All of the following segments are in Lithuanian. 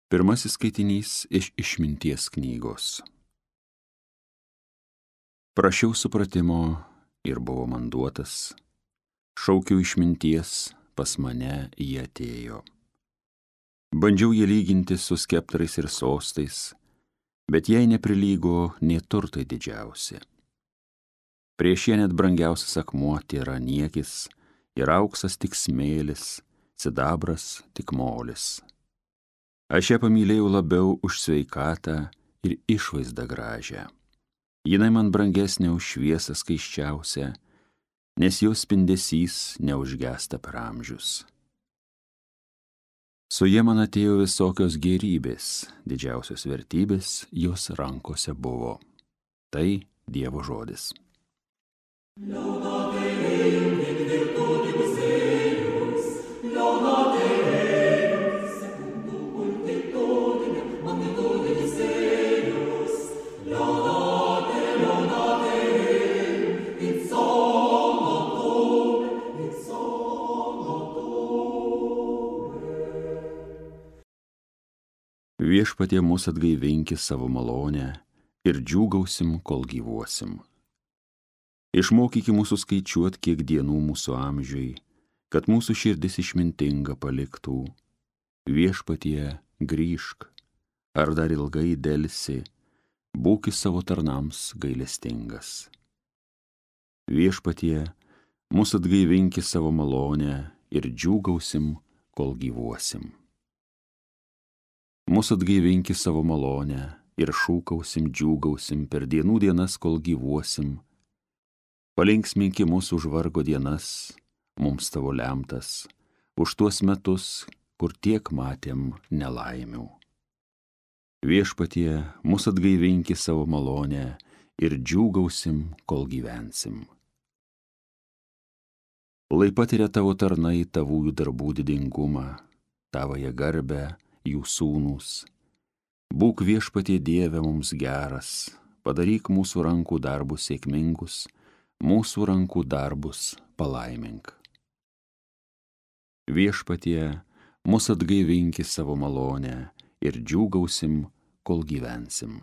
Pirmasis skaitinys iš Išminties knygos. Prašiau supratimo ir buvo man duotas, šaukiau išminties, pas mane jie atėjo. Bandžiau jį lyginti su skeptrais ir sostais, bet jai neprilygo nė turtai didžiausi. Prieš ją net brangiausias akmuo tėra niekis, ir auksas tik smėlis, sidabras tik molis. Aš ją pamylėjau labiau už sveikatą ir išvaizdą gražią. Jinai man brangesnė už šviesą skaisčiausią, nes jos spindesys neužgęsta per amžius. Su jie man atėjo visokios gėrybės, didžiausios vertybės jos rankose buvo. Tai Dievo žodis. Viešpatie mus atgaivinki savo malonę ir džiūgausim, kol gyvuosim. Išmokyki mūsų skaičiuot, kiek dienų mūsų amžiui, kad mūsų širdis išmintinga paliktų. Viešpatie, grįžk, ar dar ilgai delsi, būki savo tarnams gailestingas. Viešpatie, mus atgaivinki savo malonę ir džiūgausim, kol gyvuosim. Mūsų atgaivinki savo malonę ir šūkausim, džiūgausim per dienų dienas, kol gyvuosim. Palinksminki mūsų už vargo dienas, mums tavo lemtas, už tuos metus, kur tiek matėm nelaimių. Viešpatie, mūsų atgaivinki savo malonę ir džiūgausim, kol gyvensim. Lai patiria tavo tarnai tavųjų darbų didingumą, tavąją garbę, jų sūnūs. Būk Viešpatie Dieve mums geras, padaryk mūsų rankų darbus sėkmingus, mūsų rankų darbus palaimink. Viešpatie, mus atgaivinki savo malonę ir džiūgausim, kol gyvensim.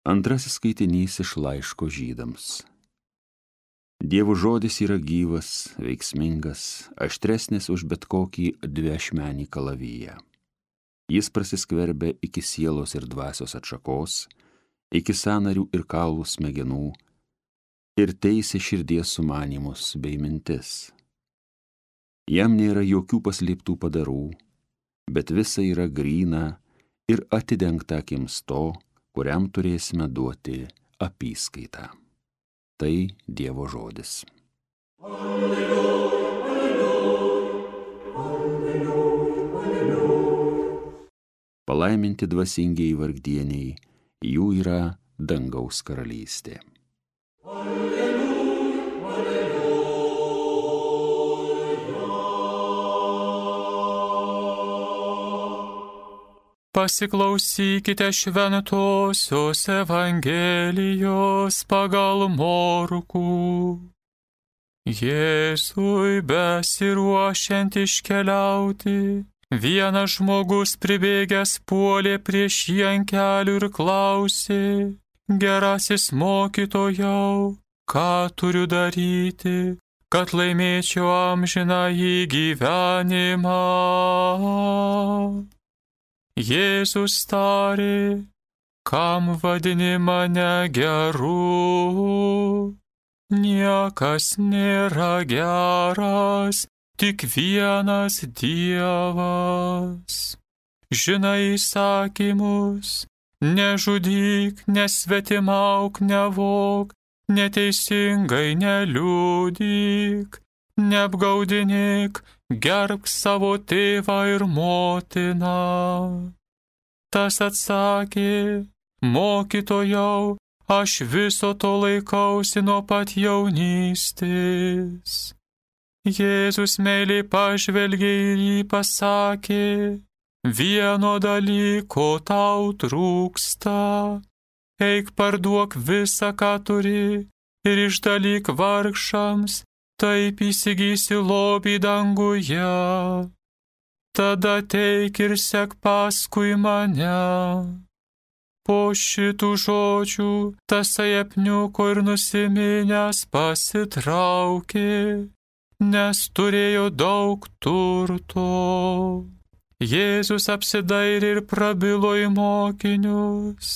Antrasis skaitinys iš laiško Žydams. Dievo žodis yra gyvas, veiksmingas, aštresnis už bet kokį dviašmenį kalaviją. Jis prasiskverbia iki sielos ir dvasios atšakos, iki sąnarių ir kaulų smegenų, ir teisia širdies sumanymus bei mintis. Jam nėra jokių paslėptų padarų, bet visa yra gryna ir atidengta akims to, kuriam turėsime duoti apyskaitą. Tai Dievo žodis. Alleluja, alleluja, alleluja, alleluja. Palaiminti dvasingieji vargdieniai, jų yra dangaus karalystė. Pasiklausykite šventosios Evangelijos pagal Morkų. Jėzui besiruošiant iškeliauti, vienas žmogus pribėgęs puolė prieš jį ant kelių ir klausė: Gerasis mokytojau, ką turiu daryti, kad laimėčiau amžinąjį gyvenimą? Jėzus tarė: kam vadini mane geru? Niekas nėra geras, tik vienas Dievas. Žinai įsakymus: nežudyk, nesvetimauk, nevok, neteisingai neliudyk, neapgaudinėk, gerbk savo tėvą ir motiną. Tas atsakė: mokytojau, aš viso to laikausi nuo pat jaunystės. Jėzus meiliai pažvelgė ir jį pasakė, vieno dalyko tau trūksta. Eik parduok visą, ką turi, ir išdalyk vargšams, taip įsigysi lobį danguje. Tada teik ir sek paskui mane. Po šitų žodžių tasai apniuko ir nusiminęs pasitraukė, nes turėjo daug turto. Jėzus apsidairė ir prabilo į mokinius,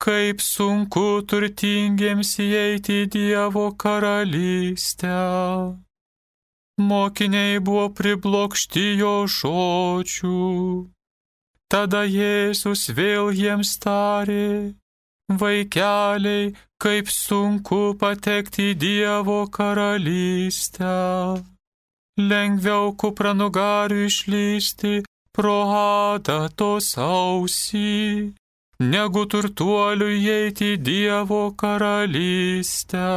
kaip sunku turtingiems įeiti į Dievo karalystę. Mokiniai buvo priblokšti jo žodžių. Tada Jėzus vėl jiems tarė, vaikeliai, kaip sunku patekti į Dievo karalystę. Lengviau kupranugariui išlysti pro adatos ausį, negu turtuoliui įeiti į Dievo karalystę.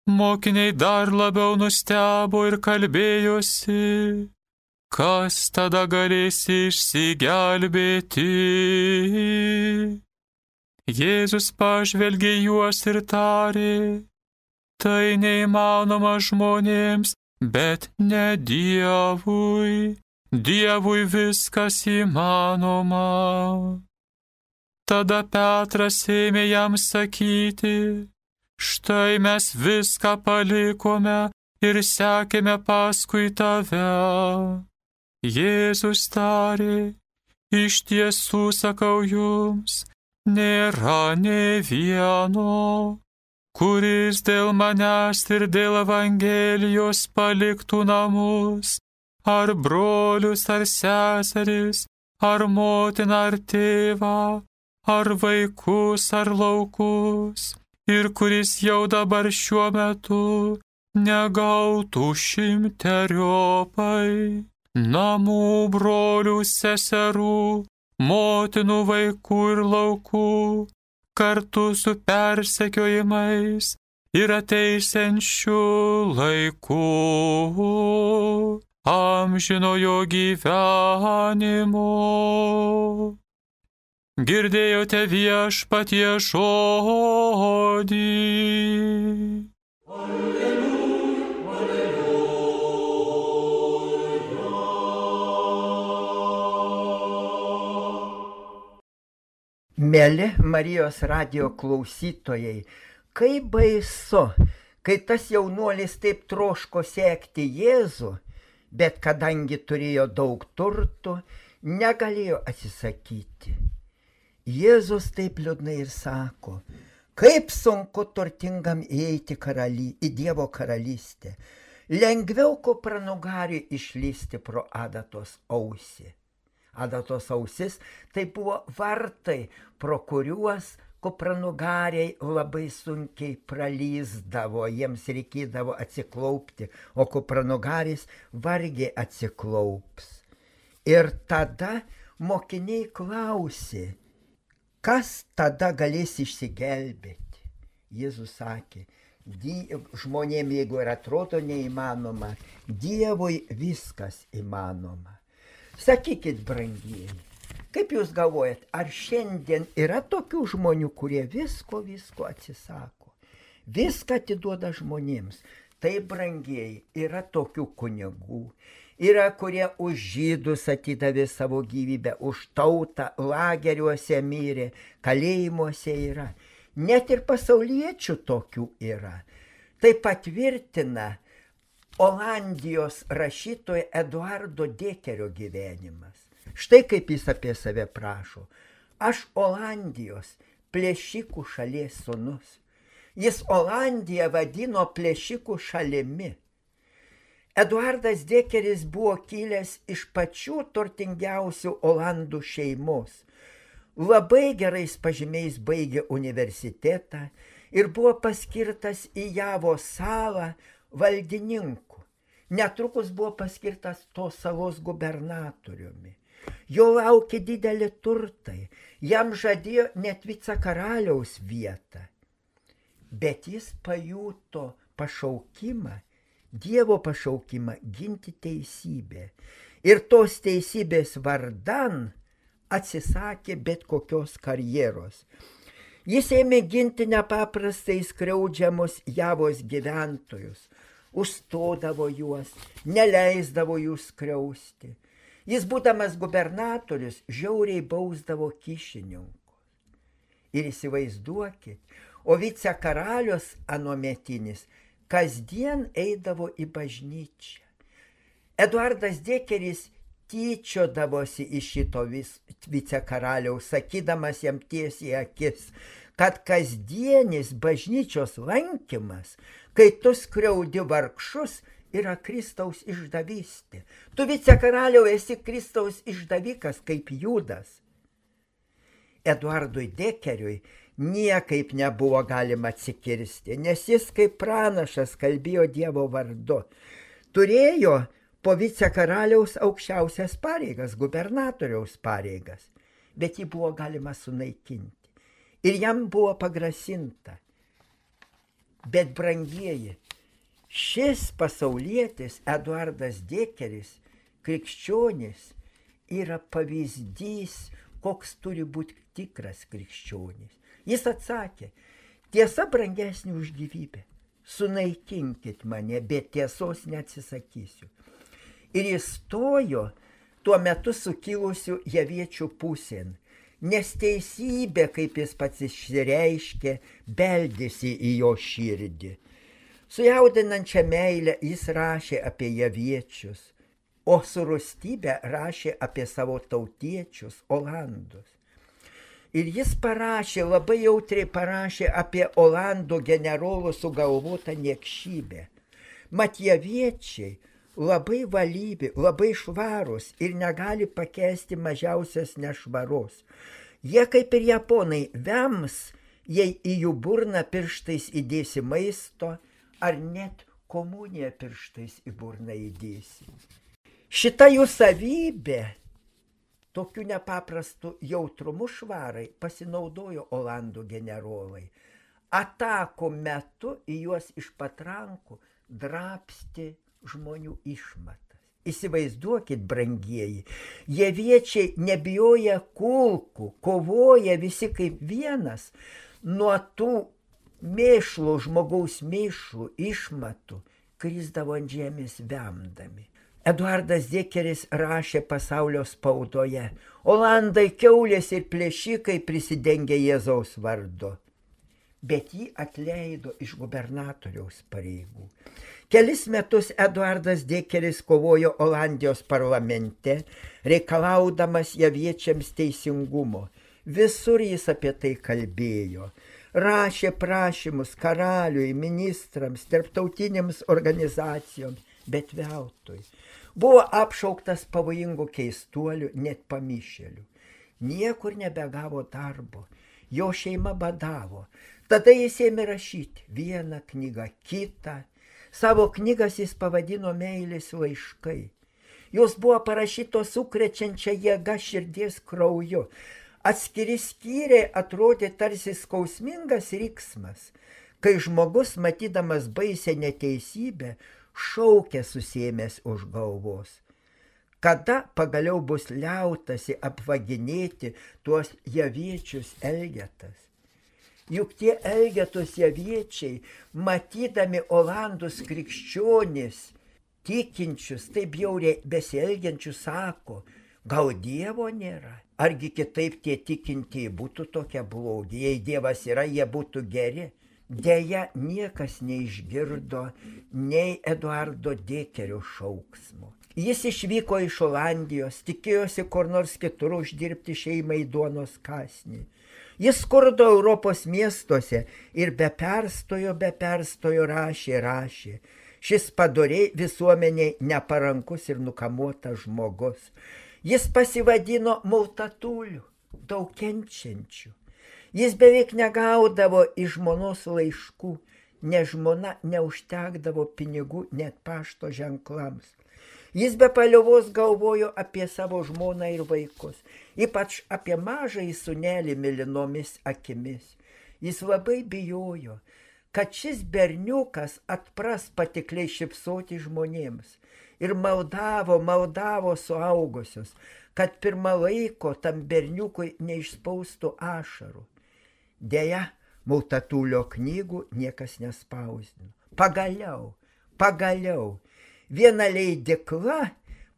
Mokiniai dar labiau nustebo ir kalbėjosi, kas tada galės išsigelbėti. Jėzus pažvelgė juos ir tarė, tai neįmanoma žmonėms, bet ne Dievui. Dievui viskas įmanoma. Tada Petras ėmė jam sakyti, štai mes viską palikome ir sekėme paskui tave. Jėzus tarė, iš tiesų sakau jums, nėra nė vieno, kuris dėl manęs ir dėl Evangelijos paliktų namus, ar brolius, ar seseris, ar motiną, ar tėvą, ar vaikus, ar laukus, ir kuris jau dabar šiuo metu negautų 100-eriopai. Namų, brolių, seserų, motinų, vaikų ir laukų, kartu su persekiojimais ir ateisiančiu laiku amžinojo gyvenimo. Girdėjote viešpatie žodį. Mėly Marijos radijo klausytojai, kaip baisu, kai tas jaunuolis taip troško sekti Jėzų, bet kadangi turėjo daug turtų, negalėjo atsisakyti. Jėzus taip liūdnai ir sako, kaip sunku turtingam įeiti į Dievo karalystę. Lengviau kupranugariui išlysti pro adatos ausį. Adatos ausis tai buvo vartai, pro kuriuos kupranugariai labai sunkiai pralysdavo, jiems reikėdavo atsiklaupti, o kupranugaris vargiai atsiklaups. Ir tada mokiniai klausė, kas tada galės išsigelbėti. Jėzus sakė, žmonėm, jeigu ir atrodo neįmanoma, Dievui viskas įmanoma. Sakykit, brangieji, kaip jūs galvojat, ar šiandien yra tokių žmonių, kurie visko atsisako, viską atiduoda žmonėms? Tai, brangieji, yra tokių kunigų, yra, kurie už žydus atidavė savo gyvybę, už tautą lageriuose mirė, kalėjimuose yra. Net ir pasauliečių tokių yra. Tai patvirtina Olandijos rašytojo Eduardo Dekerio gyvenimas. Štai kaip jis apie save prašo. Aš Olandijos plėšikų šalies sūnus. Jis Olandiją vadino plėšikų šalimi. Eduardas Dekeris buvo kilęs iš pačių turtingiausių Olandų šeimos. Labai gerais pažymiais baigė universitetą ir buvo paskirtas į Javo salą valdininku. Netrukus buvo paskirtas tos salos gubernatoriumi. Jo laukė didelį turtai, jam žadėjo net vicekaraliaus vietą. Bet jis pajuto pašaukimą, Dievo pašaukimą ginti teisybę. Ir tos teisybės vardan atsisakė bet kokios karjeros. Jis ėmė ginti nepaprastai skriaudžiamus Javos gyventojus, užstodavo juos, neleisdavo jų skriausti. Jis, būdamas gubernatorius, žiauriai bausdavo kyšininkus. Ir įsivaizduokit, o vicekaralius anuometinis kasdien eidavo į bažnyčią. Eduardas Dekeris tyčiodavosi iš šito vicekaraliaus, sakydamas jam tiesiai akis, kad kasdienis bažnyčios lankymas, kai tu skriaudi vargšus, yra Kristaus išdavystė. Tu vicekaraliau esi Kristaus išdavikas kaip Judas. Eduardui Dekeriui niekaip nebuvo galima atsikirsti, nes jis kaip pranašas kalbėjo Dievo vardu. Turėjo po vicekaraliaus aukščiausias pareigas, gubernatoriaus pareigas, bet jį buvo galima sunaikinti. Ir jam buvo pagrasinta. Bet, brangieji, šis pasaulietis Eduardas Dekeris, krikščionis, yra pavyzdys, koks turi būti tikras krikščionis. Jis atsakė, tiesa brangesnė už gyvybę, sunaikinkit mane, bet tiesos neatsisakysiu. Ir jis stojo tuo metu sukilusių javiečių pusėn, nes teisybė, kaip jis pats išreiškė, beldėsi į jo širdį. Su jaudinančia meile jis rašė apie javiečius, o su rūstybė rašė apie savo tautiečius, olandus. Ir jis parašė, labai jautriai parašė apie olandų generolų sugalvotą niekšybę. Mat javiečiai labai valybi, labai švarūs ir negali pakęsti mažiausias nešvaros. Jie kaip ir japonai vems, jei į jų burną pirštais įdėsi maisto, ar net komuniją pirštais į burną įdėsi. Šita jų savybė, tokiu nepaprastu jautrumu švarai, pasinaudojo olandų generolai. Atakų metu į juos iš patrankų drabsti žmonių išmatas. Įsivaizduokit, brangieji, javiečiai nebijoja kulkų, kovoja visi kaip vienas, nuo tų mėšlų, žmogaus mėšlų išmatų krisdavo ant žemės vemdami. Eduardas Dekeris rašė pasaulio spaudoje, olandai, kiaulės ir plėšikai prisidengė Jėzaus vardu. Bet jį atleido iš gubernatoriaus pareigų. Kelis metus Eduardas Dekeris kovojo Olandijos parlamente, reikalaudamas javiečiams teisingumo. Visur jis apie tai kalbėjo. Rašė prašymus karaliui, ministrams, tarptautinėms organizacijoms, bet veltui. Buvo apšauktas pavojingų keistuolių, net pamišėlių. Niekur nebegavo darbo, jo šeima badavo. Tada jis ėmė rašyti vieną knygą, kitą. Savo knygas jis pavadino meilės laiškai. Jos buvo parašytos sukrečiančia jėga širdies krauju. Atskiri skyriai atrodė tarsi skausmingas riksmas, kai žmogus, matydamas baisę neteisybę, šaukė susiėmęs už galvos. Kada pagaliau bus liautasi apvaginėti tuos javiečius Elgetas? Juk tie Elgetos javiečiai, matydami olandus krikščionis, tikinčius, taip bjauriai besielgiančius, sako, gal Dievo nėra? Argi kitaip tie tikintieji būtų tokie blogi? Jei Dievas yra, jie būtų geri. Deja, niekas neišgirdo nei Eduardo Dekerio šauksmo. Jis išvyko iš Olandijos, tikėjosi kur nors kitur uždirbti šeimai duonos kąsnį. Jis skurdo Europos miestuose ir be perstojo rašė. Šis padoriai visuomeniai neparankus ir nukamuotas žmogus. Jis pasivadino multatuliu, daug kenčiančių. Jis beveik negaudavo iš žmonos laiškų, nes žmona neužtekdavo pinigų net pašto ženklams. Jis be paliovos galvojo apie savo žmoną ir vaikus, ypač apie mažąjį sūnelį mėlynomis akimis. Jis labai bijojo, kad šis berniukas atpras patikliai šypsoti žmonėms ir maldavo suaugusius, kad pirmą laiko tam berniukui neišspaustų ašarų. Deja, Multatulio knygų niekas nespausdino. Pagaliau, viena leidykla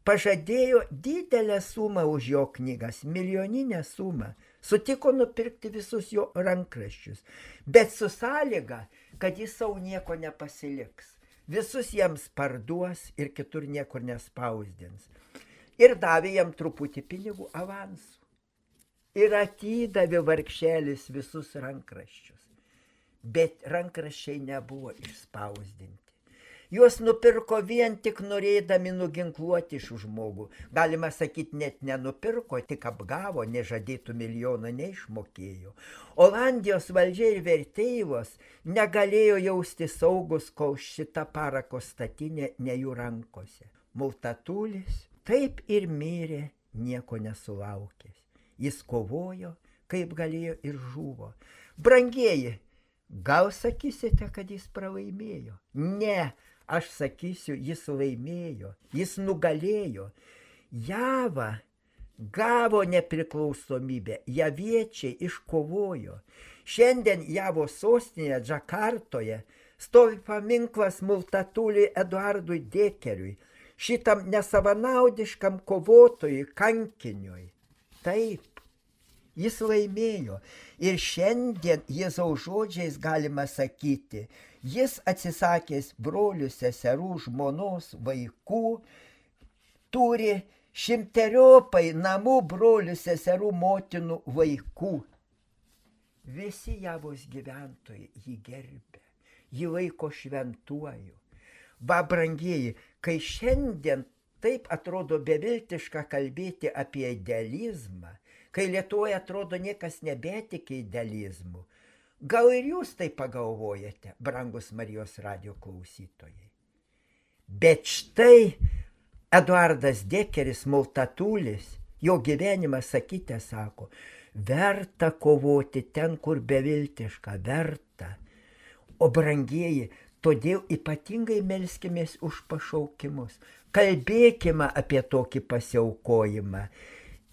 pažadėjo didelę sumą už jo knygas, milijoninę sumą. Sutiko nupirkti visus jo rankraščius, bet su sąlyga, kad jis savo nieko nepasiliks. Visus jiems parduos ir kitur niekur nespausdins. Ir davė jam truputį pinigų avansų. Ir atidavė vargšelis visus rankraščius. Bet rankraščiai nebuvo išspausdinti. Juos nupirko vien tik norėdami nuginkluoti šių žmogų. Galima sakyti, net nenupirko, tik apgavo, nežadėtų milijoną neišmokėjo. Olandijos valdžia ir vertėjos negalėjo jausti saugus, kol šita parako statinė ne jų rankose. Multatulis taip ir mirė, nieko nesulaukęs. Jis kovojo, kaip galėjo ir žuvo. Brangieji, gal sakysite, kad jis pralaimėjo? Ne, aš sakysiu, jis laimėjo, jis nugalėjo. Java gavo nepriklausomybę, javiečiai iškovojo. Šiandien Javos sostinėje Džakartoje stovi paminklas Multatuliui Eduardui Dekeriui, šitam nesavanaudiškam kovotojui, kankiniui. Taip, jis laimėjo ir šiandien Jėzaus žodžiais galima sakyti, jis atsisakęs brolių, seserų, žmonos, vaikų, turi šimteriopai namų, brolių, seserų, motinų, vaikų. Visi Javos gyventojai jį gerbė, jį laiko šventuoju. Va, brangieji, kai šiandien taip atrodo beviltiška kalbėti apie idealizmą, kai Lietuvoje atrodo niekas nebetiki idealizmu. Gal ir jūs tai pagalvojate, brangus Marijos radijo klausytojai. Bet štai Eduardas Dekeris, Multatulis, jo gyvenimas, sakyti, sako, verta kovoti ten, kur beviltiška, verta. O brangieji, todėl ypatingai melskimės už pašaukimus. Kalbėkime apie tokį pasiaukojimą.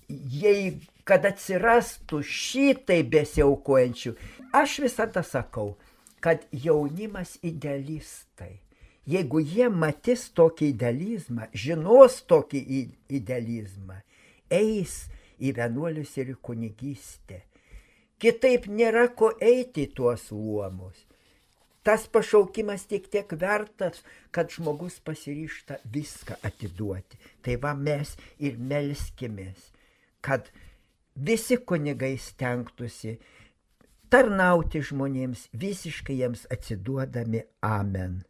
Jei kad atsirastų šitai besiaukojančių, aš visada sakau, kad jaunimas idealistai. Jeigu jie matys tokį idealizmą, žinos tokį idealizmą, eis į vienuolius ir į kunigystę. Kitaip nėra ko eiti į tuos luomus. Tas pašaukimas tiek vertas, kad žmogus pasiryžta viską atiduoti. Tai va mes ir melskimės, kad visi kunigai stengtųsi tarnauti žmonėms, visiškai jiems atsiduodami. Amen.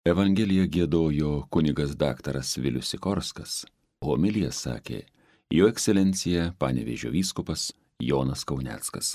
Evangeliją giedojo kunigas daktaras Vilius Sikorskas, homiliją sakė Jo ekscelencija Panevėžio vyskupas Jonas Kauneckas.